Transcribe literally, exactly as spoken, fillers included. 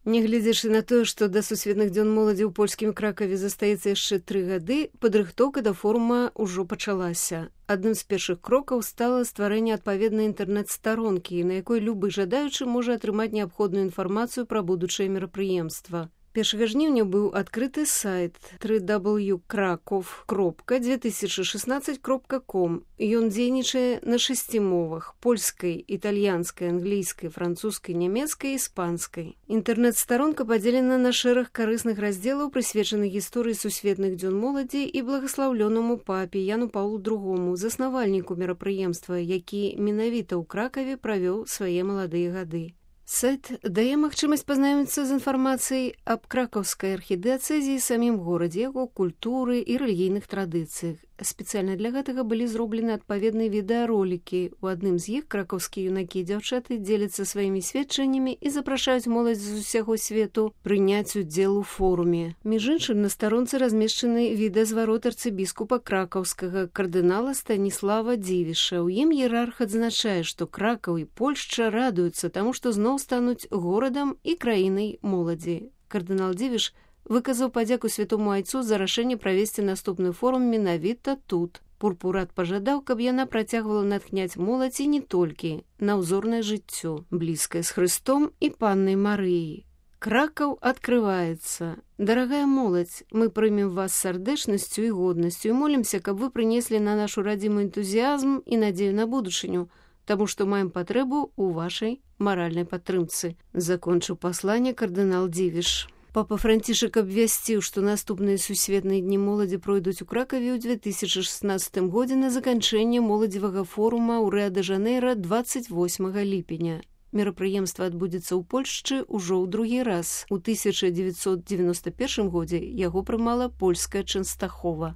Нягледзячы на тое, што да сусветных дзён моладзі ў польскім Кракаве застаецца яшчэ тры гады, падрыхтоўка да форума ўжо пачалася. Адным з першых крокаў стала стварэнне адпаведнай інтэрнэт-старонкі, на якой любы жадаючы можа атрымаць неабходную інфармацыю пра будучае мерапрыемства. першага жніўня быў адкрыты сайт дабл ю дабл ю дабл ю краков кропка две тысячи шестнадцать кропка ком. Ён дзейнічае на шасці мовах: польскай, італьянскай, англійскай, французскай, нямецкай і іспанскай. Інтэрнэт-старонка падзелена на шэраг карысных раздзелаў, прысвечаных гісторыі сусветных дзён моладзі і благаслаўлёнаму папе Яну Паўлу другому, заснавальніку мерапрыемства, які менавіта ў Кракаве правёў свае маладыя гады. Сайт дае магчымасць пазнаёміцца з інфармацыяй аб кракаўскай архідыацэзіі, самім горадзе, яго культуры і рэлігійных традыцыях. Спецыяльна для гэтага былі зроблены адпаведныя відэаролікі. У адным з іх кракаўскія юнакі і дзяўчаты дзеляцца сваімі сведчаннямі і запрашаюць моладзь з усяго свету прыняць удзел у форуме. Між іншым, на старонцы размешчаны відэазварот арцыбіскупа кракаўскага кардынала Станіслава Дзівіша. У ім іерарх адзначае, што Кракаў і Польшча радуюцца таму, што зноў стануць горадам і краінай моладзі. Кардынал Дзівіш выказаў падзяку святому айцу за рашэнне правесці наступны форум менавіта тут. Пурпурат пажадаў, каб яна працягвала натхняць моладзь і не толькі на ўзорнае жыццё, блізкае з Хрыстом і паннай Марыяй. Кракаў адкрываецца. Дарагая моладзь, мы прымем вас з сардэчнасцю і годнасцю і молімся, каб вы прынеслі на нашу радзіму энтузіязм і надзею на будучыню, таму што маем патрэбу ў вашай маральнай падтрымцы. Закончыў пасланне кардынал Дзівіш. Папа Францішак абвясціў, што наступныя сусветныя дні моладзі пройдуць у Кракаве ў две тысячи шестнадцатым годзе на заканчэнне моладзевага форума ў Рыа-дэ-Жанэйра двадцать восьмага ліпеня. Мерапрыемства адбудзецца ў Польшчы ўжо ў другі раз. У тысяча дзевяцьсот дзевяносто першым годзе яго прымала польская Чэнстахова.